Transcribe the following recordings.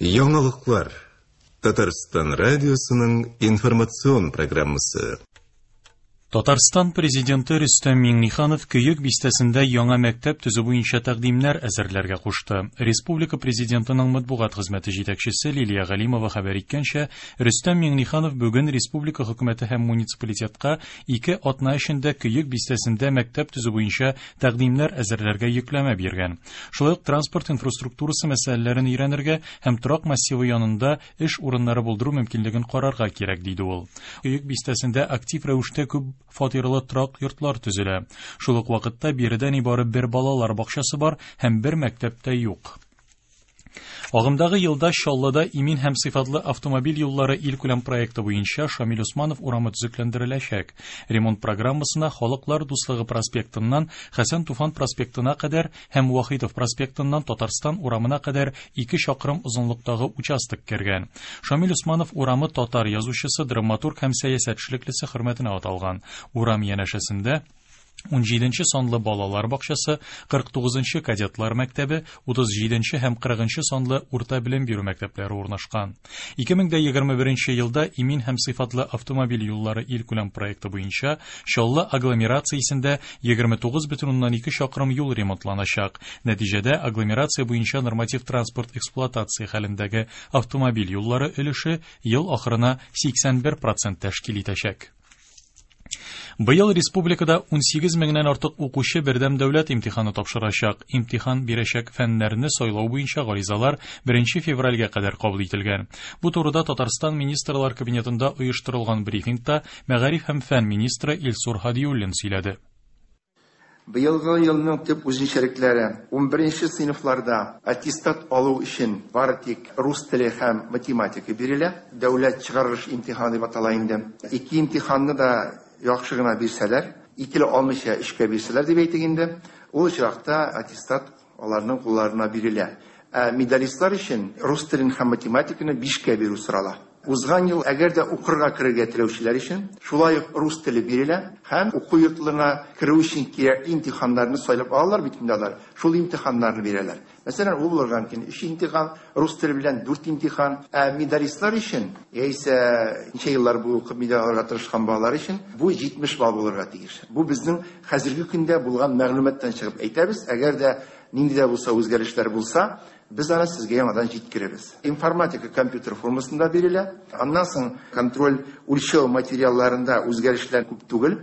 Яңалыклар. Татарстан радиосының информацион программасы. Татарстан Президенты Рөстәм Миңнеханов Көек бистәсендә яңа мәктәп төзү буенча тәкъдимнәр әзерләргә кушты. Республика Президентының матбугат хезмәте җитәкчесе Лилия Галимова хәбәр иткәнчә, Рөстәм Миңнеханов бүген республика хөкүмәте һәм муниципалитетка ике атна эчендә Көек бистәсендә мәктәп төзү буенча тәкъдимнәр әзерләргә йөкләмә биргән. Шулай ук транспорт инфраструктурасы мәсьәләләрен өйрәнергә һәм торак массивы янында эш урыннары булдыру мөмкинлеген карарга кирәк, диде ул. Көек бистәсендә актив рәвештә күп фатирлы торак йортлар төзелә. Шул ук вакытта биредә нибары бер балалар бакчасы бар һәм бер мәктәп тә юк. Агымдагы елда Чаллыда имин һәм сыйфатлы автомобиль юллары илкүләм проекты буенча Шамил Усманов урамы төзекләндереләчәк. Ремонт программасына Халыклар дуслыгы проспектыннан Хәсән Туфан проспектына кадәр һәм Вахитов проспектыннан Татарстан урамына кадәр 2 чакрым озынлыктагы участок кергән. Шамил Усманов урамы татар язучысы, драматург һәм сәясәт эшлеклесе хөрмәтенә аталган. Урам янәшәсендә 17 санлы балалар бакчасы, 49 кадетлар мәктәбе, 37 һәм 40 санлы урта белем бирү мәктәпләре урнашкан. 2021 елда имин һәм сыйфатлы автомобиль юллары илкүләм проекты буенча Чаллы агломерациясендә 29,2 чакрым юл ремонтланачак. Нәтиҗәдә агломерация буенча норматив транспорт эксплуатация хәлендәге автомобиль юллары өлеше ел ахырына 81% тәшкил итәчәк. Быел республикада 18 меңнән артык укучы бердәм дәүләт имтиханы тапшырачак. Имтихан бирәчәк фәннәрне сайлау буенча гаризалар 1 февральгә кадәр кабул ителгән. Бу турыда Татарстан Министрлар Кабинетында оештырылган брифингта мәгариф һәм фән министры Илсур Һадиуллин сөйләде. Быелгы елның төп үзенчәлекләре: 11 сыйныфларда аттестат алу өчен бары тик рус теле һәм математика бирелә. Дәүләт чыгарылыш имтиханы дип атала инде. Ике имтиханны да яхшы гына бирсәләр, икеле алмыйча өчкә бирсәләр дип әйтик инде, ул очракта аттестат аларның кулларына бирелә. Ә медалистлар өчен рус телен һәм математиканы бишкә бирү сорала. Узган ел, әгәр дә укырга керергә теләүчеләр өчен, шулай ук рус теле бирелә һәм уку йортларына керү өчен кирәкле имтиханнарны сайлап алалар бит инде алар, шул имтиханнарны бирәләр. Мәсәлән, ул булырга мөмкин 3 имтихан, рус теле белән 4 имтихан. Ә медалистлар өчен, яисә ничә еллар буе укып медаль алырга тырышкан балалар өчен бу 70 балл булырга тиеш. Бу безнең хәзерге көндә булган мәгълүматтан чыгып әйтәбез. Әгәр дә нинди дә булса үзгәрешләр булса, без аны сезгә яңадан җиткерәбез. Информатика компьютер формасында бирелә. Аннан соң контроль үлчәү материалларында үзгәрешләр күп түгел.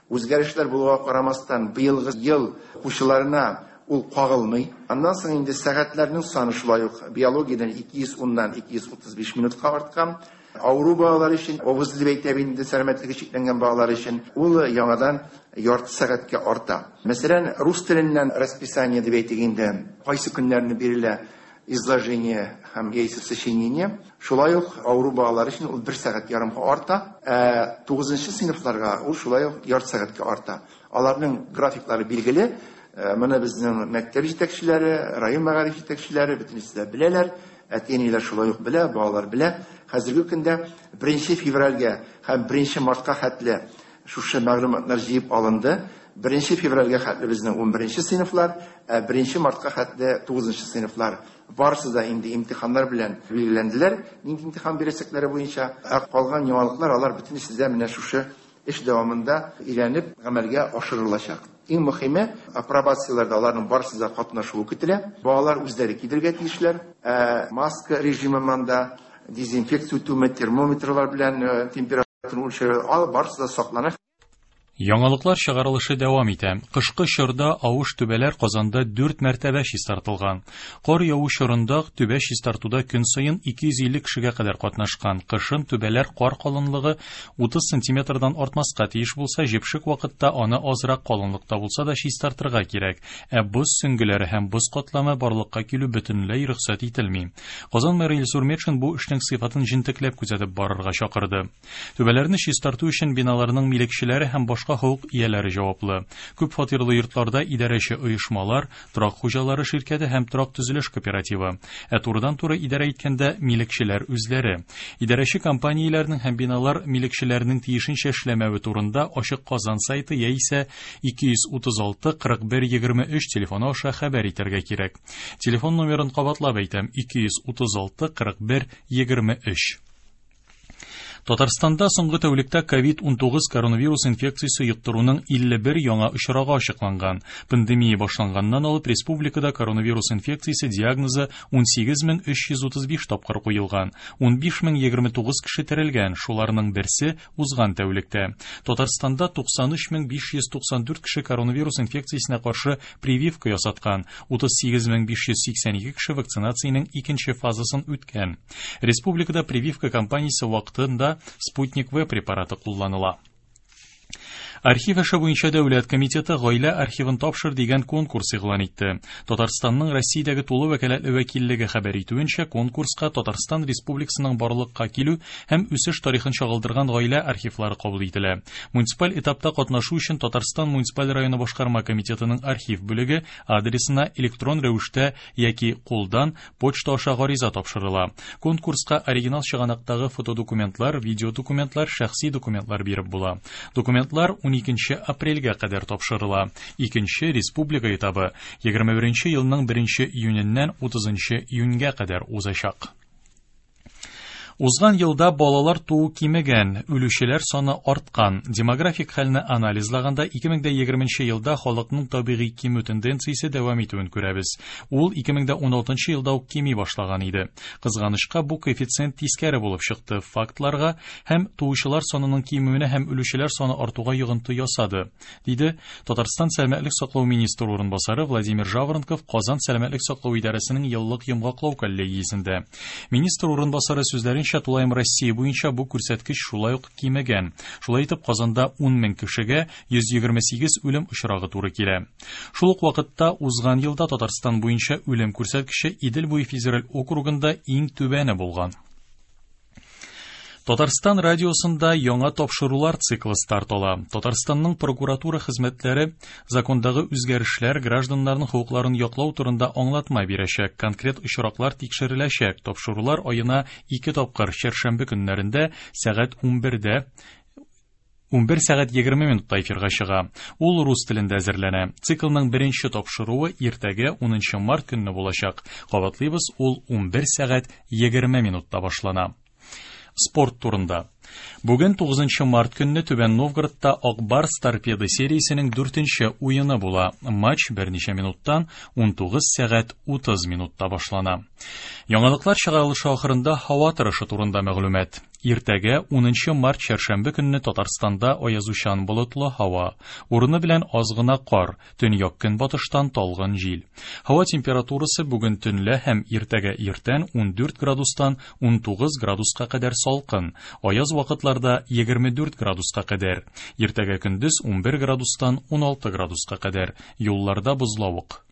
Үзгәрешләр булуга карамастан, быелгы ел укучыларына ул кагылмый. Аннан соң инде сәгатьләрнең саны шулай ук биологиядән 210-нан 235 минутка арткан. Авыру балалар өчен, ОВЗ дип әйтәбез инде, сәламәтлеге чикләнгән балалар өчен ул яңадан ярты сәгатькә арта. Мәсәлән, рус теленнән расписание дип әйтик инде, кайсы көннәрне бирелә изложение һәм яисә сочинение. Шулай ук авыру балалар өчен ул бер сәгать ярымга арта, ә 9 сыйныфларга ул шулай ук ярты сәгатькә арта. Аларның графиклары билгеле. Моны безнең мәктәп җитәкчеләре, район мәгариф җитәкчеләре бөтенесе дә беләләр. Әти-әниләр шулай ук белә, балалар белә. Хәзерге көндә 1 февральгә һәм 1 мартка хәтле шушы мәгълүматлар җыеп алынды. 1 февральгә хәтле безнең 11 сыйныфлар, ә 1 мартка хәтле 9 сыйныфлар. Барысы да инде имтиханнар белән билгеләнделәр, нинди имтихан бирәчәкләре буенча. Ә калган яңалыклар алар бөтенесе дә менә шушы эш дәвамында өйрәнеп гамәлгә ашырылачак. Иң мөһиме, апробацияләрдә аларның барысы да катнашуы көтелә. Балалар үзләре килергә тиешләр. Ә маска режимы монда, дезинфекция үтүме, термометрлар белән температура үлчәү, алар барысы да саклана. Яңалыклар чыгарылышы дәвам итә. Кышкы чорда авыш түбәләр Казанда 4 мәртәбә чистартылган. Кар яву чорында түбә чистартуда көн саен 250 кешегә кадәр катнашкан. Кышын түбәләр кар калынлыгы 30 сантиметрдан артмаска тиеш булса, җепшек вакытта аны азрак калынлыкта булса да чистартырга кирәк. Ә боз сөңгеләре һәм боз катламы барлыкка килү бөтенләй рөхсәт ителми. Казан мэры Илсур Метшин бу эшнең сыйфатын җентекләп күзәтеп барырга чакырды. Түбәләрне чистарту өчен биналарның милекчеләре һәм башка башка хокук ияләре җаваплы. Күп фатирлы йортларда идарәче оешмалар, торак хуҗалары ширкәте һәм торак төзелеш кооперативы. Ә турыдан-туры идарә иткәндә милекчеләр үзләре. Идарәче компанияләрнең һәм биналар милекчеләренең тиешенчә эшләмәве турында Ачык Казан сайты яисә 236 41 23 телефоны аша хәбәр итәргә кирәк. Телефон номерын кабатлап әйтәм: 236 41 23. Татарстанда соңгы тәүлектә COVID-19 коронавирус инфекциясе йоктыруның 51 яңа очрагы ачыкланган. Пандемия башланганнан алып республикада коронавирус инфекциясе диагнозы 18335 тапкыр куелган. 15029 кеше терелгән, шуларның берсе узган тәүлектә. Татарстанда 93594 кеше коронавирус инфекциясенә каршы прививка ясаткан, 38582 кеше вакцинациянең икенче фазасын үткән. Республикада прививка кампаниясе вакытында Спутник В препараты кулланыла. Архив эше буенча дәүләт комитеты гаилә архивын тапшыр дигән конкурс игълан итте. Татарстанның Россиядәге тулы вәкаләтле вәкиллеге хәбәр итүенчә, конкурска Татарстан Республикасының барлыкка килү һәм үсеш тарихын чагылдырган гаилә архивлары кабул ителә. Муниципаль этапта катнашу өчен Татарстан муниципаль районы башкарма комитетының архив бүлеге адресына электрон рәвештә яки кулдан почта аша гариза тапшырыла. Конкурска оригинал чыганактагы фотодокументлар, видеодокументлар, шәхси документлар биреп була. Документлар 12 апрельгә кадәр тапшырыла. Икенче республика этабы 21 елның 1 июненнән 30 июньгә кадәр узачак. Узган елда балалар туу кимегән, үлүчеләр саны арткан. Демографик хәлне анализлаганда 2020 елда халыкның табигый кимү тенденциясе дәвам итүен күрәбез. Ул 2016 елда ук кими башлаган иде. Кызганычка, бу коэффициент тискәре булып чыкты. Фактларга һәм туучылар санының кимүенә һәм үлүчеләр саны артуга йогынты ясады, диде Татарстан сәламәтлек саклау министры урынбасары Владимир Жаворонков Казан сәламәтлек саклау идарәсенең еллык йомгаклау коллегиясендә. Министр урынбасары сүзләренчә, тулаем Россия буенча бу күрсәткеч шулай ук кимегән. Шулай итеп, Казанда 10 мең кешегә 128 үлем очрагы туры килә. Шул ук вакытта узган елда Татарстан буенча үлем күрсәткече Идел буе федераль округында иң түбәне булган. Татарстан радиосында яңа тапшырулар циклы старт ала. Татарстанның прокуратура хезмәтләре закондагы үзгәрешләр гражданнарның хокукларын яклау турында аңлатма бирәчәк. Конкрет очраклар тикшереләчәк. Тапшырулар аена 2 тапкыр чәршәмбе көннәрендә сәгать 11-дә 11 сәгать 20 минутта эфирга чыга. Ул рус телендә әзерләнә. Циклның беренче тапшыруы иртәгә 10 март көнне булачак. Кабатлыйбыз, ул 11 сәгать 20 минутта башлана. Спорт турында. Бүген 9 март көнне Түбән Новгородта Ак Барс Торпедо сериясенең 4нче уены була. Матч берничә минуттан 19 сәгать 30 минутта башлана. Яңалыклар чыгарылышы ахырында һава торышы турында мәгълүмат. Иртәгә 10 март чәршәмбе көнне Татарстанда аязучан болытлы һава, урыны белән аз гына кар, төньяк көнбатыштан талгын җил. Һава температурасы бүген төнлә һәм иртәгә иртән 14 градустан 19 градуска кадәр салкын, аяз вакытларда 24 градуска кадәр. Иртәгә көндез 11 градустан 16 градуска кадәр. Юлларда бозлавык.